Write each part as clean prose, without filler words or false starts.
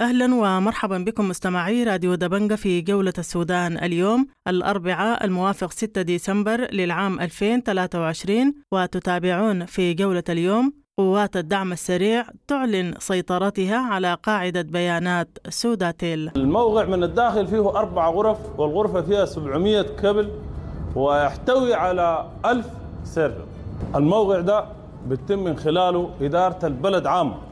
أهلا ومرحبا بكم مستمعي راديو دبنجة في جولة السودان اليوم الأربعاء الموافق 6 ديسمبر للعام 2023، وتتابعون في جولة اليوم: قوات الدعم السريع تعلن سيطرتها على قاعدة بيانات سوداتيل. الموقع من الداخل فيه 4 غرف، والغرفة فيها 700 كابل ويحتوي على 1000 server. الموقع ده بيتم من خلاله إدارة البلد عامة.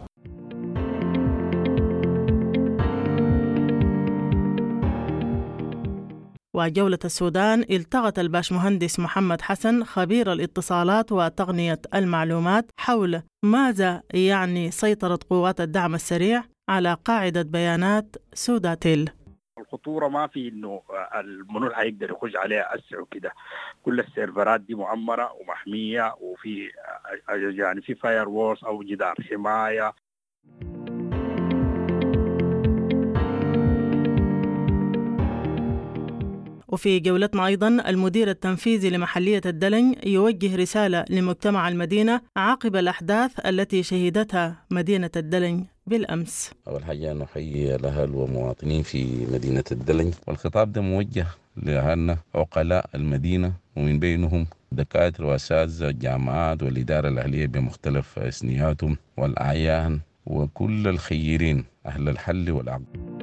وجولة السودان التقت الباشمهندس محمد حسن خبير الاتصالات وتقنية المعلومات حول ماذا يعني سيطرة قوات الدعم السريع على قاعدة بيانات سوداتيل. الخطورة ما في إنه المنور هيقدر يخش عليها أسرع وكده، كل السيرفرات دي مؤمنة ومحمية، وفي يعني في firewalls أو جدار حماية. وفي جولتنا أيضا المدير التنفيذي لمحلية الدلنج يوجه رسالة لمجتمع المدينة عقب الأحداث التي شهدتها مدينة الدلنج بالأمس. أول حاجة نحيي الأهل والمواطنين في مدينة الدلنج، والخطاب ده موجه لأهلنا عقلاء المدينة، ومن بينهم دكاترة وأساتذة الجامعات والإدارة الأهلية بمختلف أسنياتهم والأعيان وكل الخيرين أهل الحل والعقد.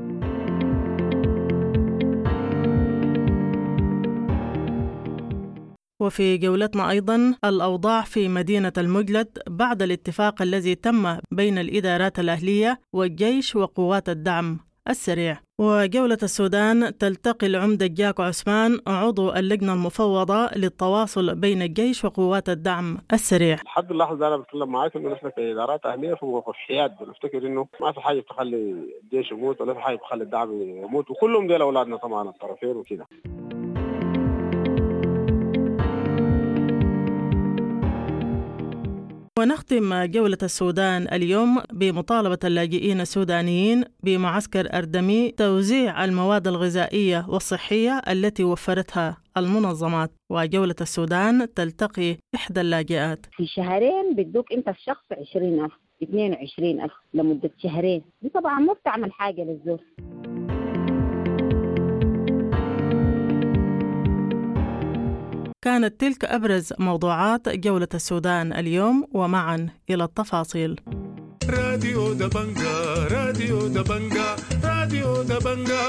وفي جولتنا أيضا الأوضاع في مدينة المجلد بعد الاتفاق الذي تم بين الإدارات الأهلية والجيش وقوات الدعم السريع. وجولة السودان تلتقي العمدة جاك عثمان عضو اللجنة المفوضة للتواصل بين الجيش وقوات الدعم السريع. لحد اللحظة أنا بتكلم معاك إنه نحن كإدارات أهلية في موقف حياد، بنفتكر إنه ما في حاجة تخلي الجيش يموت ولا في حاجة تخلي الدعم يموت، وكلهم ديل أولادنا طبعا الطرفين وكده. ونختم جولة السودان اليوم بمطالبة اللاجئين السودانيين بمعسكر أردمي توزيع المواد الغذائية والصحية التي وفرتها المنظمات. وجولة السودان تلتقي إحدى اللاجئات. في شهرين بدوك أنت الشخص 20,000 22,000 لمدة شهرين، دي طبعا ما بتعمل حاجة للزول. كانت تلك أبرز موضوعات جولة السودان اليوم، ومعا إلى التفاصيل. راديو دبنجا، راديو دبنجا، راديو دبنجا.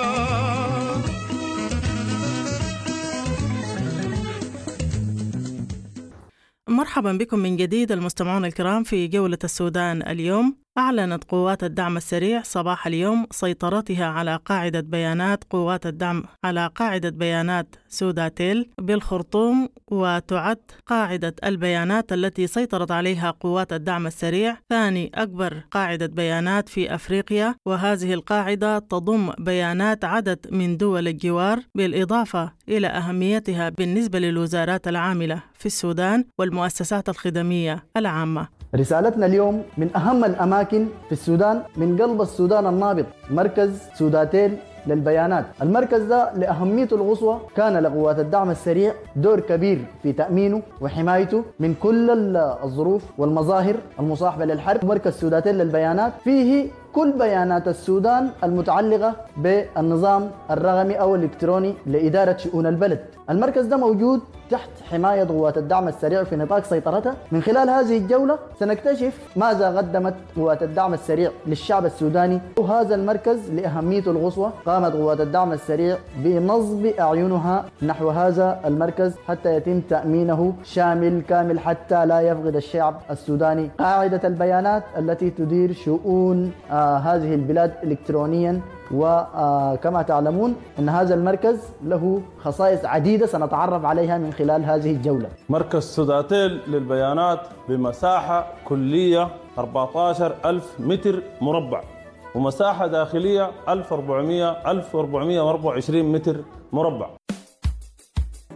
مرحبا بكم من جديد المستمعون الكرام في جولة السودان اليوم. أعلنت قوات الدعم السريع صباح اليوم سيطرتها على قاعدة بيانات قوات الدعم على قاعدة بيانات سوداتيل بالخرطوم، وتعد قاعدة البيانات التي سيطرت عليها قوات الدعم السريع ثاني أكبر قاعدة بيانات في أفريقيا، وهذه القاعدة تضم بيانات عدد من دول الجوار، بالإضافة إلى أهميتها بالنسبة للوزارات العاملة في السودان والمؤسسات الخدمية العامة. رسالتنا اليوم من أهم الأماكن في السودان، من قلب السودان النابض، مركز سوداتيل للبيانات. المركز ده لأهميته القصوى كان لقوات الدعم السريع دور كبير في تأمينه وحمايته من كل الظروف والمظاهر المصاحبة للحرب. مركز سوداتيل للبيانات فيه كل بيانات السودان المتعلقة بالنظام الرقمي أو الإلكتروني لإدارة شؤون البلد. المركز ده موجود تحت حماية قوات الدعم السريع في نطاق سيطرتها. من خلال هذه الجولة سنكتشف ماذا قدمت قوات الدعم السريع للشعب السوداني. وهذا المركز لأهميته القصوى قامت قوات الدعم السريع بنصب أعينها نحو هذا المركز حتى يتم تأمينه شامل كامل، حتى لا يفقد الشعب السوداني قاعدة البيانات التي تدير شؤون هذه البلاد إلكترونيا. وكما تعلمون أن هذا المركز له خصائص عديدة سنتعرف عليها من خلال هذه الجولة. مركز سوداتيل للبيانات بمساحة كلية 14,000 متر مربع، ومساحة داخلية 1424 متر مربع.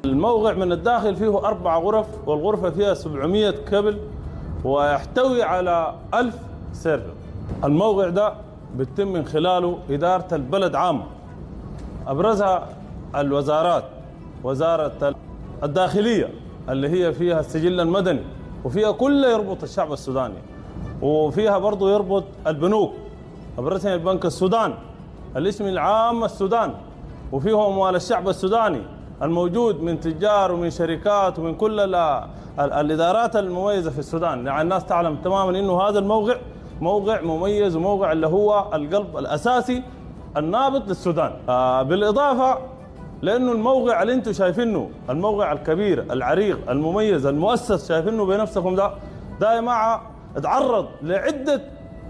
الموقع من الداخل فيه 4 غرف، والغرفة فيها 700 كابل ويحتوي على 1000 server. الموقع ده بيتم من خلاله إدارة البلد عامة، أبرزها الوزارات، وزارة الداخلية اللي هي فيها السجل المدني وفيها كل يربط الشعب السوداني، وفيها برضو يربط البنوك الرسمي البنك السودان، الاسم العام السودان، وفيه أموال الشعب السوداني الموجود من تجار ومن شركات ومن كل الإدارات المميزة في السودان. يعني الناس تعلم تماما أنه هذا الموقع موقع مميز وموقع اللي هو القلب الأساسي النابض للسودان. بالإضافة لأنه الموقع اللي انتم شايفينه، الموقع الكبير العريق المميز المؤسس شايفينه بنفسكم، ده يا جماعة اتعرض لعدة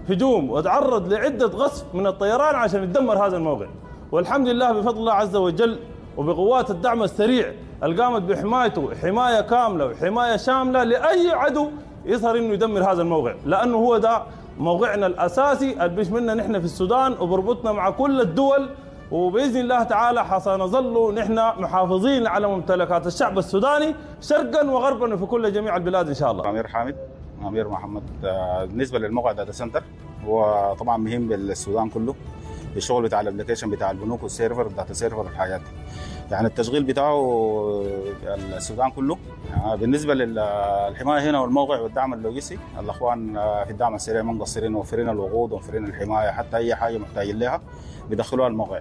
هجوم وتعرض لعدة غصب من الطيران عشان يدمر هذا الموقع، والحمد لله بفضل الله عز وجل وبقوات الدعم السريع اللي قامت بحمايته حماية كاملة وحماية شاملة لأي عدو يظهر انه يدمر هذا الموقع، لأنه هو ده موقعنا الأساسي اللي بيشملنا نحن في السودان وبربطنا مع كل الدول، وبإذن الله تعالى حسنظل نحن محافظين على ممتلكات الشعب السوداني شرقا وغربا وفي كل جميع البلاد إن شاء الله. أمير حامد، أمير محمد. بالنسبة للموقع data center هو طبعا مهم للسودان كله، الشغل بتاع ال application بتاع البنوك وال server data server والحاجات دي، يعني التشغيل بتاعه السودان كله. يعني بالنسبة للحماية هنا والموقع والدعم اللوجستي، الاخوان في الدعم السريع ما مقصرين، موفرين الوقود وموفرين الحماية، حتى اي حاجة محتاجين لها بيدخلوها الموقع،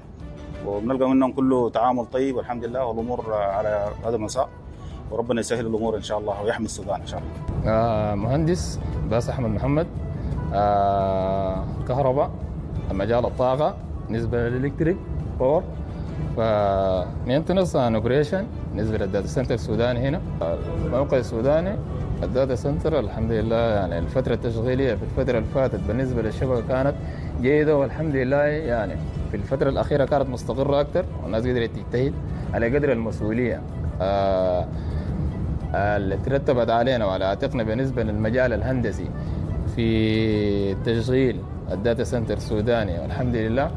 وبنلقى منهم كله تعامل طيب والحمد لله، والامور على هذا المساء، وربنا يسهل الامور ان شاء الله ويحمي السودان ان شاء الله. مهندس باس احمد محمد، كهرباء، مجال الطاقة بالنسبة لل electric power، ف maintenance and operation بالنسبة لل data center السوداني. هنا الموقع السوداني ال data center الحمد لله، يعني الفترة التشغيلية في الفترة اللي فاتت بالنسبة للشبكه كانت جيدة والحمد لله، يعني في الفترة الاخيرة كانت مستقره اكثر، والناس قدرت تجتهد على قدر المسؤولية اللي ترتبت علينا وعلى عاتقنا بالنسبة للمجال الهندسي في تشغيل ال data center السوداني والحمد لله.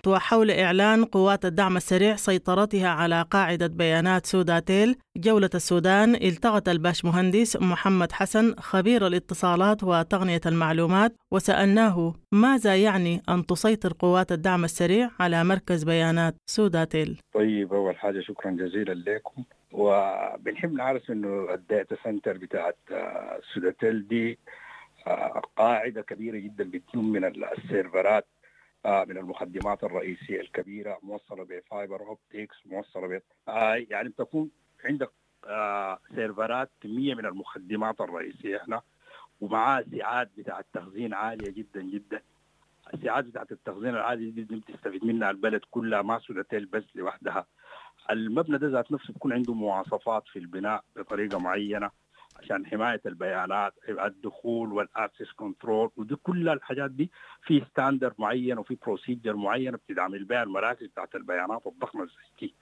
وحول إعلان قوات الدعم السريع سيطرتها على قاعدة بيانات سوداتيل، جولة السودان التقت الباش مهندس محمد حسن خبير الاتصالات وتقنية المعلومات، وسألناه ماذا يعني أن تسيطر قوات الدعم السريع على مركز بيانات سوداتيل. طيب، أول حاجة شكرا جزيلا لكم، وبنحب نعرف إنه ال data center بتاعت سوداتيل دي قاعدة كبيرة جدا بتكون من السيرفرات، من المخدمات الرئيسية الكبيرة، موصلة ب fiber optics، موصلة ب يعني بتكون عندك سيرفرات كمية من المخدمات الرئيسية هنا، ومعها سعات بتاع التخزين عالية جدا جدا. السعات بتاعت التخزين العالية جدا بتستفيد منها البلد كلها، ما سوداتيل بس لوحدها. المبنى ده ذات نفسه بيكون عنده مواصفات في البناء بطريقة معينة عشان حماية البيانات، الدخول وال access control، ودي كل الحاجات دي في standard معين وفي procedure معين بتدعم بها المراكز بتاعت البيانات الضخمة زي دي.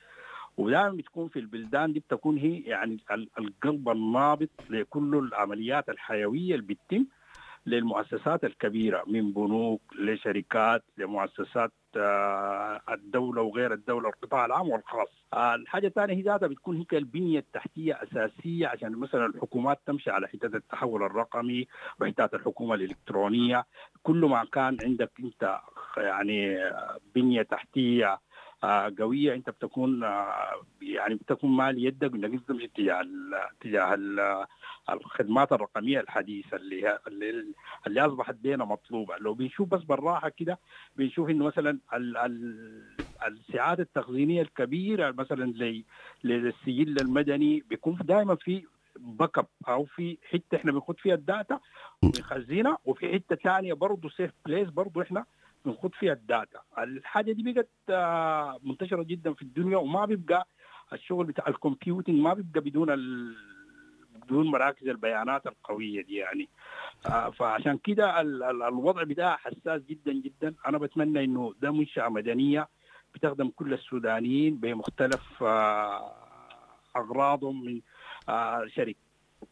ودائما بتكون في البلدان دي بتكون هي يعني القلب النابض لكل العمليات الحيوية اللي بتتم للمؤسسات الكبيرة، من بنوك لشركات لمؤسسات الدولة وغير الدولة، القطاع العام والخاص. الحاجة الثانية هي ذاتها بتكون هيك البنية التحتية أساسية عشان مثلا الحكومات تمشي على حتة التحول الرقمي وحتة الحكومة الإلكترونية. كل ما كان عندك أنت يعني بنية تحتية قوية، أنت بتكون يعني بتكون مالي يدك إنك أنت تمشي تجاه الخدمات الرقمية الحديثة اللي أصبحت بينا مطلوبة. لو بنشوف بس بالراحة كده بنشوف إنه مثلا السعات التخزينية الكبيرة مثلا للسجل المدني بيكون دائما في backup أو في حتة إحنا بنخد فيها ال data ونخزنها، وفي حتة ثانية برضه safe place برضه إحنا بنخد فيها ال data. الحاجة دي بقت منتشرة جدا في الدنيا، وما بيبقى الشغل بتاع ال computing ما بيبقى بدون مراكز البيانات القوية دي يعني. فعشان كده الوضع بتاعها حساس جدا جدا. أنا بتمنى إنه ده منشأة مدنية بتخدم كل السودانيين بمختلف أغراضهم، من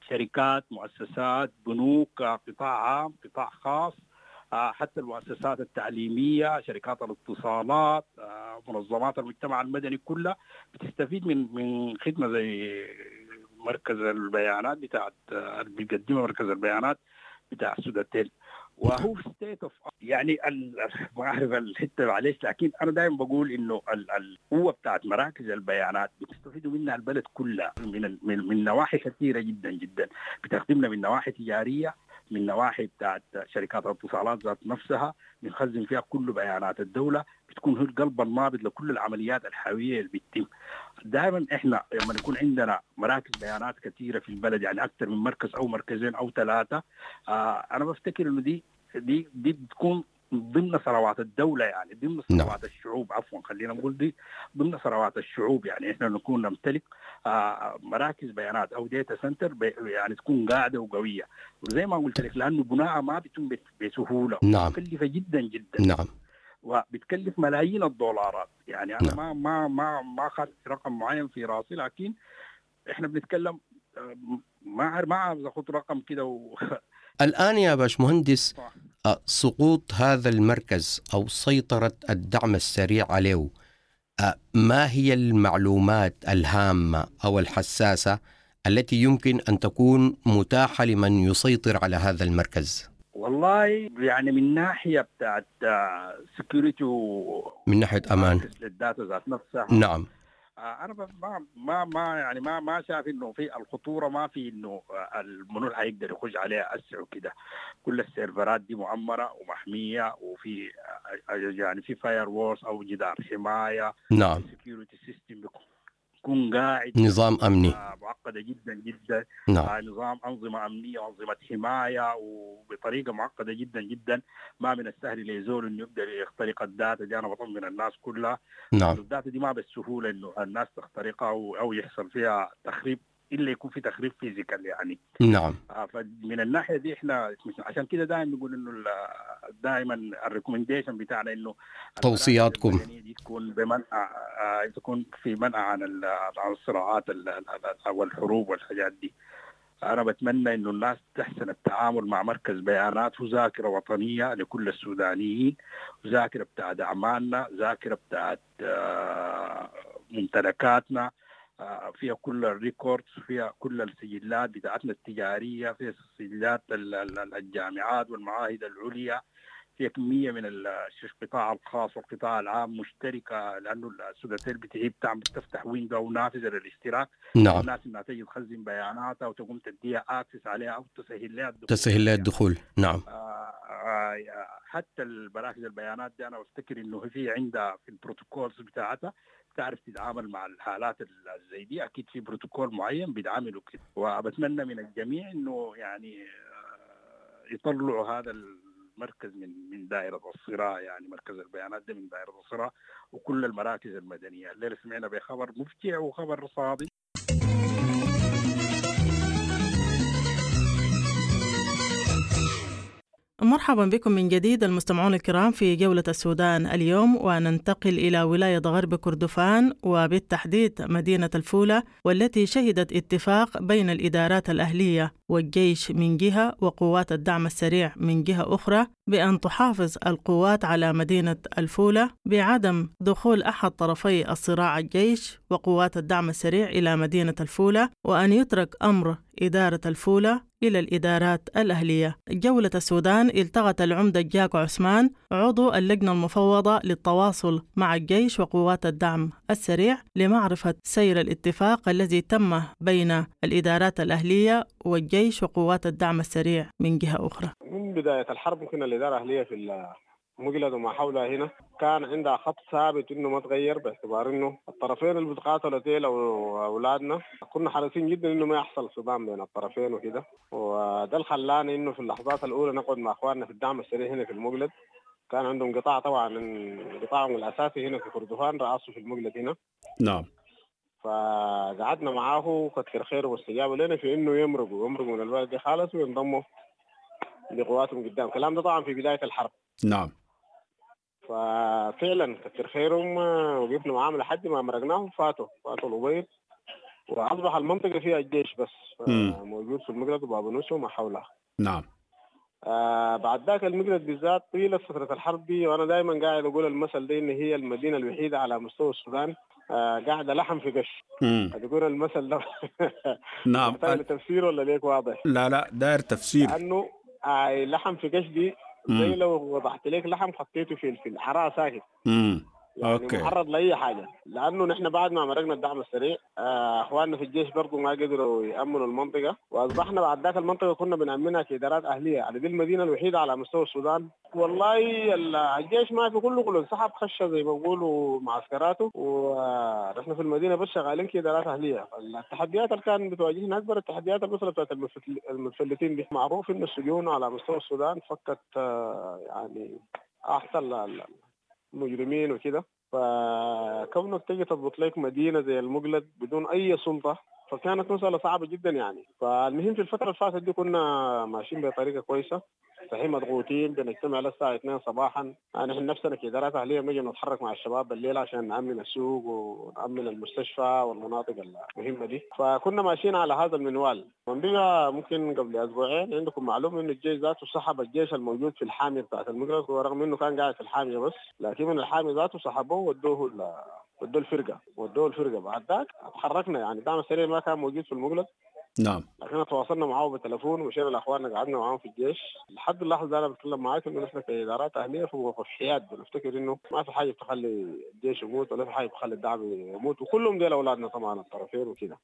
شركات، مؤسسات، بنوك، قطاع عام، قطاع خاص، حتى المؤسسات التعليمية، شركات الاتصالات، منظمات المجتمع المدني كلها بتستفيد من خدمة زي مركز البيانات بتاعت اللي بيقدمها مركز البيانات بتاع سوداتيل. وهو state of يعني ما اعرف الحتة معلش، لكن انا دائما بقول انه القوة بتاعت مراكز البيانات بتستفيدوا منها البلد كلها من نواحي كثيرة جدا جدا، بتخدمنا من نواحي تجارية، من نواحي بتاعت شركات الاتصالات ذات نفسها، بنخزن فيها كل بيانات الدولة، بتكون هو القلب النابض لكل العمليات الحيوية اللي بتتم. دائما احنا لما يكون عندنا مراكز بيانات كثيرة في البلد، يعني اكثر من مركز او مركزين او ثلاثة، انا بفتكر انه دي بتكون ضمن ثروات الدولة، يعني ضمن ثروات الشعوب، عفوا خلينا نقول دي ضمن ثروات الشعوب. يعني احنا نكون نمتلك مراكز بيانات او data center يعني تكون قاعدة وقويه، وزي ما قلت لك لانه بناءها ما بيتم بسهولة. نعم. مكلفة جدا جدا. نعم. وبتكلف ملايين الدولارات. يعني انا ما ما ما ما اخذت رقم معين في راسي، لكن احنا بنتكلم ما عاوز اخذ رقم كده الآن يا باشمهندس، سقوط هذا المركز أو سيطرة الدعم السريع عليه، ما هي المعلومات الهامة أو الحساسة التي يمكن أن تكون متاحة لمن يسيطر على هذا المركز؟ والله يعني من ناحية بتاعت security من ناحية أمان لل data ذات نفسها. نعم. انا ما ما يعني ما شايف انه في الخطورة، ما في انه المنو حيقدر يخش عليها اسع وكده. كل السيرفرات دي معمره ومحميه، وفي يعني في firewalls او جدار حماية. نعم. security system بيكون قاعد، نظام امني معقدة جدا جدا. نعم. نظام انظمة امنية وانظمة حماية وبطريقة معقدة جدا جدا، ما من السهل لزول انه يقدر يخترق ال data دي. انا بطمن الناس كلها. نعم. ال data دي ما بالسهولة انه الناس تخترقها او يحصل فيها تخريب، الا يكون في تخريب physical يعني. نعم. فمن الناحية دي احنا عشان كده دائما بنقول انه دائما ال recommendation بتاعنا انه توصياتكم دي تكون بمنع، تكون في منع عن الصراعات او الحروب والحاجات دي. انا بتمنى انه الناس تحسن التعامل مع مركز بيانات وذاكره وطنية لكل السودانيين، وذاكره بتاعت اعمالنا، ذاكره بتاعت ممتلكاتنا، فيها كل ال records، فيها كل السجلات بتاعتنا التجارية، فيها سجلات الجامعات والمعاهد العليا، فيها كمية من القطاع الخاص والقطاع العام مشتركة، لأنه السوداتيل بتعيب تعمل تفتح window نافذة للاشتراك. نعم. الناس إنها تجي تخزن بياناتها وتقوم تديها access عليها أو تسهل لها الدخول. تسهل لها الدخول. نعم. حتى المراكز البيانات دي أنا بفتكر إنه في عندها في ال protocols بتاعتها تعرف تتعامل مع الحالات زي دي، اكيد في بروتوكول معين بيتعاملوا كده. وبتمنى من الجميع انه يعني يطلعوا هذا المركز من دائرة الصراع، يعني مركز البيانات ده من دائرة الصراع وكل المراكز المدنية. الليلة سمعنا بخبر مفجع وخبر صادم. مرحبا بكم من جديد المستمعون الكرام في جولة السودان اليوم، وننتقل إلى ولاية غرب كردفان وبالتحديد مدينة الفولة، والتي شهدت اتفاق بين الإدارات الأهلية والجيش من جهة وقوات الدعم السريع من جهة أخرى بأن تحافظ القوات على مدينة الفولة بعدم دخول أحد طرفي الصراع الجيش وقوات الدعم السريع إلى مدينة الفولة، وأن يترك أمر إدارة الفولة إلى الإدارات الأهلية. جولة السودان التقت العمدة جاك عثمان عضو اللجنة المفوضة للتواصل مع الجيش وقوات الدعم السريع لمعرفة سير الاتفاق الذي تم بين الإدارات الأهلية والجيش وقوات الدعم السريع من جهة أخرى. من بداية الحرب ممكن الإدارة الأهلية في مقلد وما حولها هنا كان عندها خط ثابت انه ما تغير، باعتبار انه الطرفين اللي بيتقاتلوا ديل او اولادنا كنا حريصين جدا انه ما يحصل صدام بين الطرفين وكده، وده اللي خلانا انه في اللحظات الاولى نقعد مع اخواننا في الدعم السريع هنا في المقلد. كان عندهم قطاع طبعا قطاعهم الاساسي هنا في كردفان رأسه في المقلد هنا. نعم. فقعدنا معاه وكتر خيره واستجابوا لنا في انه يمرقوا من البلد دي خالص وينضموا لقواتهم قدام. الكلام ده طبعا في بداية الحرب. نعم. ففعلا كتر خيرهم وقفنا معاهم لحد ما مرقناهم، فاتوا الأبيض واصبح المنطقة فيها الجيش بس موجود في المقلد وبابنوسه وما حولها. نعم. بعد ذاك المقلد بالذات طيلة فترة الحرب دي، وانا دائما قاعد اقول المثل ده ان هي المدينة الوحيدة على مستوى السودان قاعدة لحم في قش. تقول المثل ده. نعم. محتاج تفسير ولا ليك واضح؟ لا داير تفسير. لانه لحم في قش دي زي لو وضعت لك لحم حطيته في الحرارة ساكت. يعني okay. معرض لاي حاجة، لانه نحن بعد ما مرقنا الدعم السريع اخواننا في الجيش برضه ما قدروا يامنوا المنطقة، واصبحنا بعد ذاك المنطقة كنا بنامنها كادارات اهليه، يعني دي المدينة الوحيدة على مستوى السودان. والله الجيش ما في كله انسحب، خش زي ما بيقولوا معسكراته، ونحن في المدينة بس شغالين كادارات اهليه. التحديات اللي كانت بتواجهنا اكبر التحديات المسالة بتاعت المتفلتين دي. معروف انه السجون على مستوى السودان فكت يعني احسن مجرمين وكده، فكونك تجي تضبط لك مدينة زي المقلد بدون اي سلطة فكانت مسالة صعبة جدا يعني. فالمهم في الفترة اللي فاتت دي كنا ماشيين بطريقة كويسة، صحيح مضغوطين، بنجتمع للساعة 2 صباحا، نحن نفسنا كادارات اهليه بنجي نتحرك مع الشباب بالليل عشان نامن السوق ونامن المستشفى والمناطق المهمة دي، فكنا ماشيين على هذا المنوال. من بقى ممكن قبل اسبوعين عندكم معلومة انه الجيش ذاته سحب الجيش الموجود في الحامية بتاعت المقلد، ورغم انه كان قاعد في الحامية بس، لكن من الحامية ذاته سحبوه ودوه ودوه الفرقة. بعد ذاك تحركنا، يعني الدعم السريع ما كان موجود في المقلد. نعم. لكن تواصلنا معاه بالتليفون ومشينا لاخواننا قعدنا معاهم في الجيش. لحد اللحظة انا بتكلم معاك انه نحن كادارات اهليه في موقف حياد، بنفتكر انه ما في حاجة بتخلي الجيش يموت ولا في حاجة بتخلي الدعم يموت، وكلهم ديل اولادنا طبعا الطرفين وكده.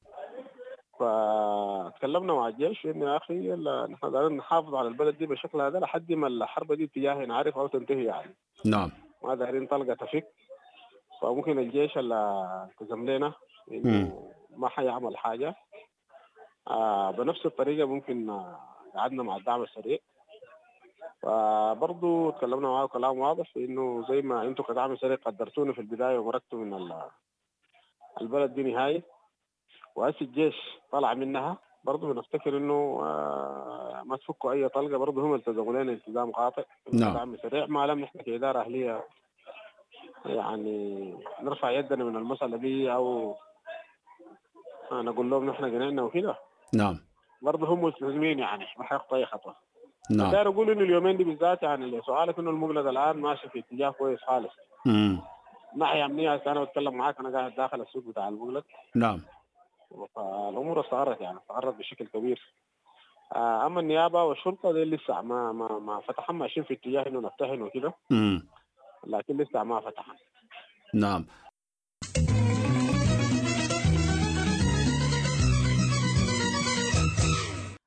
فتكلمنا مع الجيش انه يا اخي نحن دايرين نحافظ على البلد دي بالشكل هذا لحد ما الحرب دي اتجاهي نعرف او تنتهي يعني. نعم. ما دايرين طلقه تفك. فممكن الجيش اللي التزم لنا انه ما حيعمل حاجة. بنفس الطريقة ممكن قعدنا مع الدعم السريع، فبرضه تكلمنا معاه كلام واضح انه زي ما انتم كدعم سريع قدرتونا في البداية ومرقتوا من البلد دي نهائي، وهسه الجيش طلع منها، برضه بنفتكر انه ما تفكوا اي طلقه. برضه هم التزموا لنا التزام قاطع. نعم. دعم سريع ما لم نحن كادارة اهليه يعني نرفع يدنا من المسالة دي او نقول لهم نحن قنعنا وكده. نعم. برضه هم ملتزمين يعني ما حيخطوا اي خطوة. نعم. داير اقول انه اليومين دي بالذات يعني سؤالك انه المقلد الان ماشي في اتجاه كويس خالص. ناحية امنية. انا بتكلم معاك انا قاعد داخل السوق بتاع المقلد. نعم. فالامور استقرت يعني استقرت بشكل كبير. اما النيابة والشرطة دي لسه ما فتحوا، ماشيين في اتجاه انه نفتحن وكده. لكن لسه ما فتحن. نعم.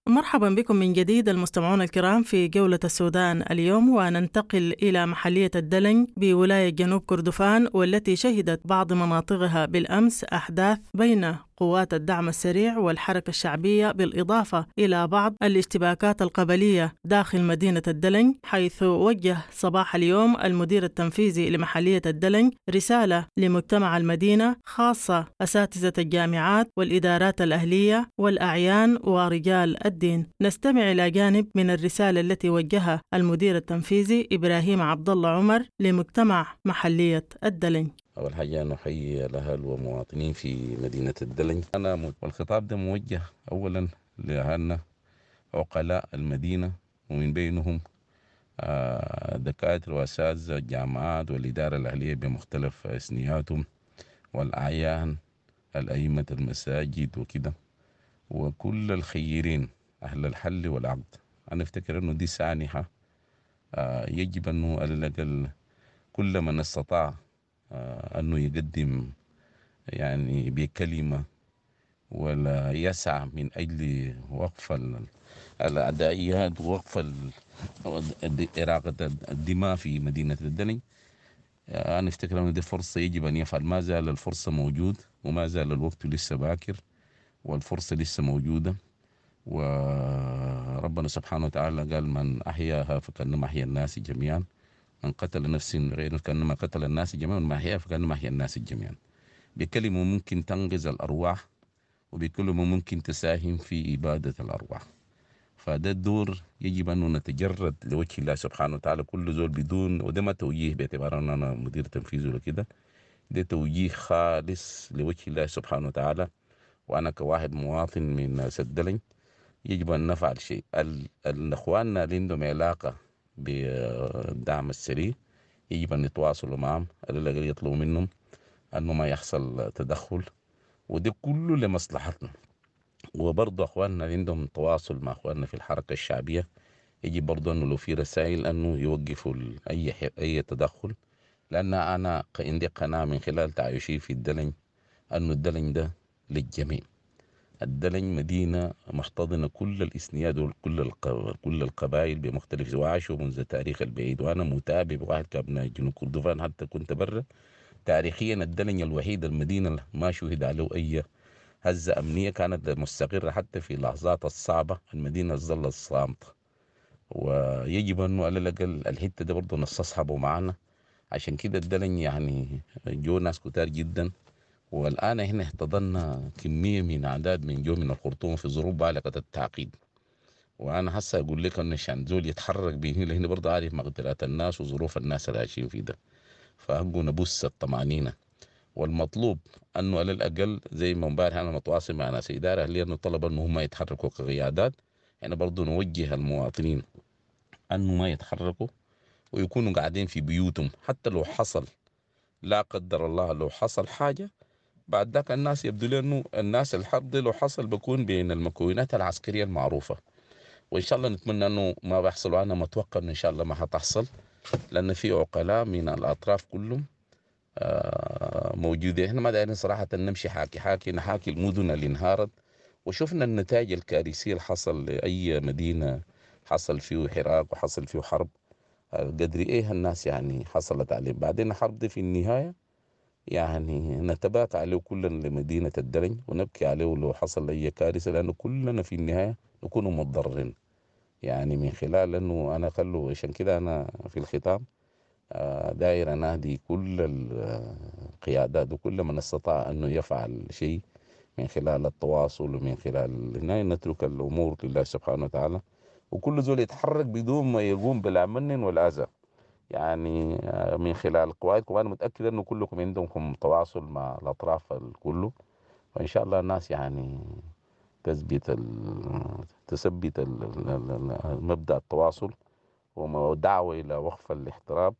مرحبا بكم من جديد المستمعون الكرام في جولة السودان اليوم، وننتقل إلى محلية الدلنج بولاية جنوب كردفان، والتي شهدت بعض مناطقها بالأمس أحداث بين قوات الدعم السريع والحركة الشعبية، بالإضافة إلى بعض الاشتباكات القبلية داخل مدينة الدلنج، حيث وجه صباح اليوم المدير التنفيذي لمحلية الدلنج رسالة لمجتمع المدينة، خاصة أساتذة الجامعات والإدارات الأهلية والأعيان ورجال الدين. نستمع إلى جانب من الرسالة التي وجهها المدير التنفيذي إبراهيم عبد الله عمر لمجتمع محلية الدلنج. أول حاجة نحيي الأهل ومواطنين في مدينة الدلنج. أنا والخطاب ده موجه أولا لأهلنا عقلاء المدينة، ومن بينهم دكاترة وأساتذة الجامعات والإدارة الأهلية بمختلف أسنياتهم، والأعيان، الأئمة المساجد وكده، وكل الخيرين أهل الحل والعقد. أنا أفتكر أنه دي سانحة يجب أنه على الأقل كل من استطاع أنه يقدم يعني بكلمة ولا يسعى من أجل وقف الأدائيات ووقف إراقة الدماء في مدينة الدلنج. أنا أفتكر أن دي فرصة يجب أن يفعل. ما زال الفرصة موجود، وما زال الوقت لسه باكر، والفرصة لسه موجودة. وربنا سبحانه وتعالى قال من أحياها فكأنما أحيا الناس جميعا، من قتل نفس غير كأنما قتل الناس جميعا، ومن أحياها فكأنما أحيا الناس جميعا. بكلمة ممكن تنقذ الأرواح، وبكلمة ممكن تساهم في إبادة الأرواح. فده الدور يجب أن نتجرد لوجه الله سبحانه وتعالى، كل زول بدون، وده ما توجيه باعتبار أن أنا مدير تنفيذي ولا كده، ده توجيه خالص لوجه الله سبحانه وتعالى. وأنا كواحد مواطن من ناس الدلنج يجب أن نفعل شيء. الأخواننا اللي عندهم علاقة بالدعم السريع يجب أن يتواصلوا معهم، على الأقل يطلبوا منهم أنه ما يحصل تدخل، وده كله لمصلحتنا. وبرضه أخواننا اللي عندهم تواصل مع أخواننا في الحركة الشعبية يجب برضو أنه لو في رسائل أنه يوقفوا أي تدخل، لأن أنا عندي قناعة من خلال تعايشي في الدلنج أنه الدلنج ده للجميع. الدلنج مدينة محتضنة كل الإثنيات وكل كل القبائل بمختلف، وعاشوا منذ التاريخ البعيد، وأنا متابع واحد كابناء جنوب كردفان حتى كنت برا. تاريخيا الدلنج الوحيد المدينة ما شهد عليه أي هزة أمنية، كانت مستقرة حتى في اللحظات الصعبة، المدينة ظلت صامتة. ويجب أنه على الأقل الحتة دي برضه نستصحبه معنا. عشان كده الدلنج يعني جو ناس كتار جدا، والآن احنا احتضنا كمية من أعداد من جو من الخرطوم في ظروف بالغة التعقيد. وأنا هسه أقول لك أنه عشان زول يتحرك به هنا لهنا برضه عارف مقدرات الناس وظروف الناس اللي عايشين في ده، فأبقوا نبث الطمأنينة. والمطلوب أنه على الأقل زي ما امبارح أنا متواصل مع ناس إدارة أهلية أنه طلب أنه هم يتحركوا كقيادات، يعني برضه نوجه المواطنين أنه ما يتحركوا ويكونوا قاعدين في بيوتهم، حتى لو حصل لا قدر الله لو حصل حاجة بعد ذاك الناس يبدو لي أنه الناس الحرب دي لو حصل بكون بين المكونات العسكرية المعروفة، وإن شاء الله نتمنى أنه ما بيحصل، وأنا متوقع أنه إن شاء الله ما حتحصل، لأن في عقلاء من الأطراف كلهم موجودين. إحنا ما دايرين صراحة نمشي حاكي حاكي نحاكي المدن اللي انهارت، وشفنا النتائج الكارثية اللي حصل لأي مدينة حصل فيه حراك وحصل فيه حرب، قدر إيه الناس يعني حصلت عليه. بعدين الحرب دي في النهاية يعني نتباكى عليه كلنا لمدينة الدلنج ونبكي عليه لو حصل أي كارثة، لأنه كلنا في النهاية نكون متضررين يعني من خلال أنه أنا خلو. عشان كده أنا في الختام داير أنادي كل القيادات وكل من استطاع أنه يفعل شيء من خلال التواصل ومن خلال هنا، نترك الأمور لله سبحانه وتعالى، وكل زول يتحرك بدون ما يقوم بلا من ولا أذى يعني من خلال قوائدكم. أنا متأكد أنه كلكم عندكم تواصل مع الأطراف الكله، وإن شاء الله الناس يعني تثبت مبدأ التواصل ودعوة إلى وقف الاحتراب،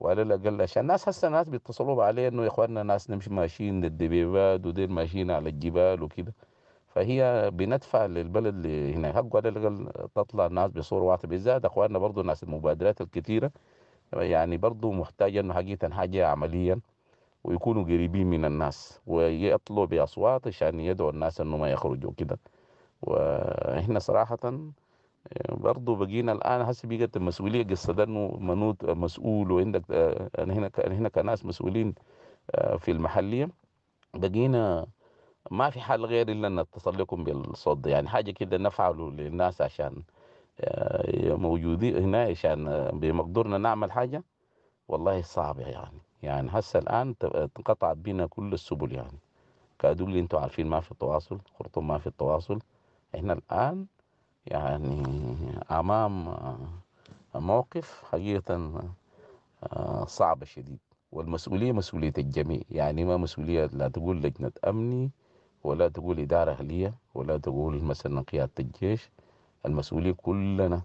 وعلى الأقل عشان الناس هسه الناس بيتصلوا عليه إنه يا إخواننا ناس نمشي ماشيين للدبيبات وديل ماشيين على الجبال وكده، فهي بندفع للبلد اللي هنا حقه على الأقل تطلع الناس بصورة واضحة، بالذات إخواننا برضو الناس المبادرات الكثيرة يعني برضو محتاجة إنه حقيقة حاجة عمليا، ويكونوا قريبين من الناس ويطلوا بأصوات عشان يدعوا الناس إنه ما يخرجوا كده. وإحنا صراحة برضو بقينا الآن هسه بقت المسؤولية قصة ده إنه منوط مسؤول، وعندك هنا كناس مسؤولين في المحلية، بقينا ما في حل غير إلا أن نتصل لكم بالصوت ده، يعني حاجة كده نفعله للناس عشان موجودين هنا، عشان بمقدورنا نعمل حاجة. والله صعب يعني هسه الآن انقطعت بينا كل السبل، يعني كادوا اللي انتم عارفين ما في التواصل، خرطوم ما في التواصل. احنا الآن يعني أمام موقف حقيقة صعب شديد، والمسؤولية مسؤولية الجميع، يعني ما مسؤولية لا تقول لجنة أمني ولا تقول إدارة أهلية ولا تقول مثلا قيادة الجيش، المسؤولية كلنا.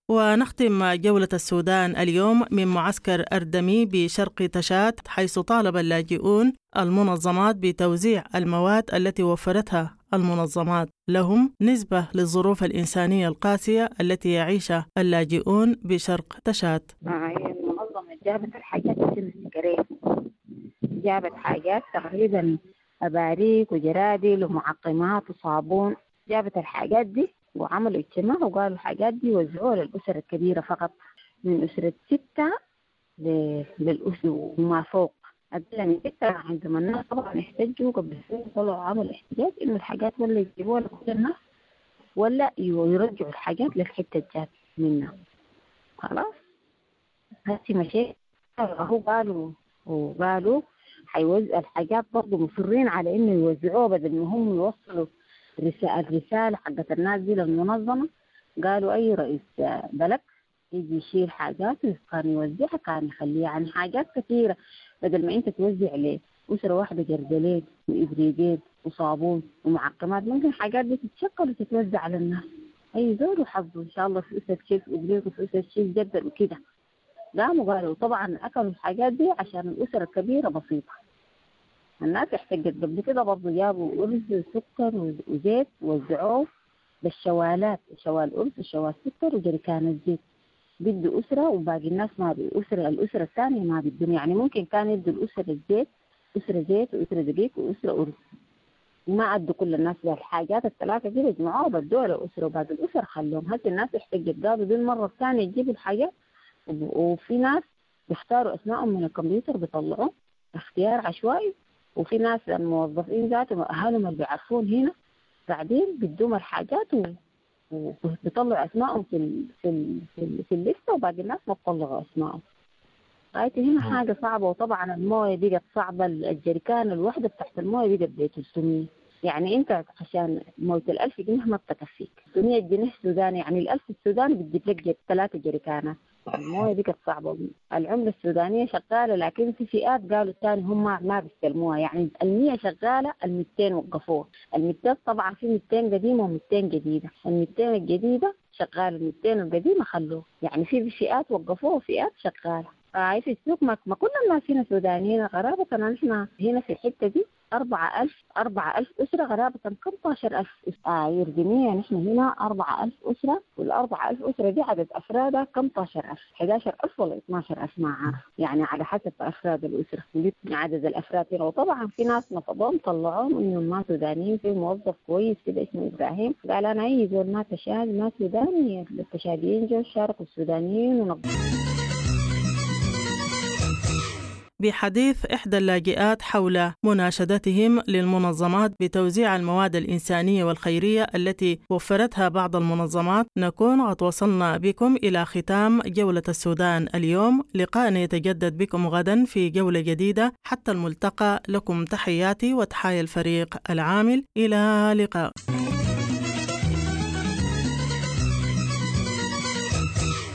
ونختم جولة السودان اليوم من معسكر أردمي بشرق تشاد، حيث طالب اللاجئون المنظمات بتوزيع المواد التي وفرتها المنظمات لهم نسبة للظروف الإنسانية القاسية التي يعيشها اللاجئون بشرق تشاد. المنظمة جابت الحاجات السكرية، جابت حاجات تقريبا أباريك وجرادل ومعقمات وصابون، جابت الحاجات دي وعملوا اجتماع وقالوا الحاجات دي وزعوها للأسر الكبيرة فقط، من أسرة 6 للأسر وما فوق، أقل من 6. عندما الناس طبعا احتجوا قبل سنة، طلعوا عملوا احتجاج إنه الحاجات ولا يجيبوها لكل الناس ولا يرجعوا الحاجات للحتة الجات منها. خلاص هسي مشيت هو قالوا حيوزع الحاجات، برضه مصرين على إنه يوزعوها بدل ما هم يوصلوا الرسالة حقت الناس دي للمنظمة. قالوا أي رئيس بلد يجي يشيل حاجات كان يوزعها، كان يخليها يعني حاجات كثيرة، بدل ما أنت توزع لأسرة واحدة جردلين وإبريقين وصابون ومعقمات، ممكن حاجات دي تتشكل وتتوزع على الناس. أي زول وحظه إن شاء الله في أسرة تشيل إبريق وفي أسرة تشيل جردل وكده. قاموا قالوا طبعا أكلوا الحاجات دي عشان الأسرة الكبيرة بسيطة. الناس احتجت قبل كده برضه، جابوا أرز وسكر وزيت وزعوه بالشوالات، شوال أرز وشوال سكر وجريكان الزيت. بدوا أسرة وباقي الناس ما أسرة، الأسرة الثانية ما بدهم. يعني ممكن كان يدوا الأسرة الزيت، أسرة زيت وأسرة دقيق وأسرة أرز، ما أدوا كل الناس الحاجات الثلاثة دي، بيجمعوها وبدوها لأسرة وباقي الأسر خلوهم. هسه الناس احتجت، قالوا دي المرة الثانية تجيبوا الحاجات. وفي ناس بيختاروا أسمائهم من الكمبيوتر، بيطلعوا اختيار عشوائي، وفي ناس الموظفين ذاتهم أهلهم اللي بيعرفون هنا قاعدين بيدوهم الحاجات وبيطلعوا أسمائهم في الليستة، وباقي الناس ما بيطلعوا أسمائهم. غايتي هنا حاجة صعبة. وطبعا الموية بقت صعبة، الجريكان الوحدة بتاعت الموية بقت ب 300، يعني انت عشان موية 1000 جنيه ما بتكفيك، 300 جنيه سوداني، يعني 1000 السوداني بتجيب لك 3 جريكانات. الموية بقت صعبة، العملة السودانية شغالة، لكن في فئات قالوا الثاني هم ما بيستلموها، يعني 100 شغالة، 200 وقفوها. 200 طبعا في 200 قديمة و200 جديدة، 200 الجديدة شغالة، 200 القديمة خلوه، يعني في فئات وقفوها وفئات شغالة. في السوق ما كل الناس هنا سودانيين، غرابة نحن هنا في الحتة دي 4000 أسرة، غرابة 15000 أسرة يردمية. نحن هنا 4000 أسرة، وال4000 أسرة دي عدد أفرادها 15000، 11000 ولا 12000 ما عارف، يعني على حسب أفراد الأسرة عدد الأفراد هنا. وطبعا في ناس نفضوهم طلعوهم إنهم ما سودانيين. في موظف كويس كده اسمه إبراهيم قال أنا أي زول ما تشاد ما سوداني، التشاديين جو شاركوا السودانيين ونقضوا. بحديث إحدى اللاجئات حول مناشدتهم للمنظمات بتوزيع المواد الإنسانية والخيرية التي وفرتها بعض المنظمات، نكون قد وصلنا بكم إلى ختام جولة السودان اليوم. لقاءنا يتجدد بكم غدا في جولة جديدة، حتى الملتقى لكم تحياتي وتحايا الفريق العامل. إلى اللقاء.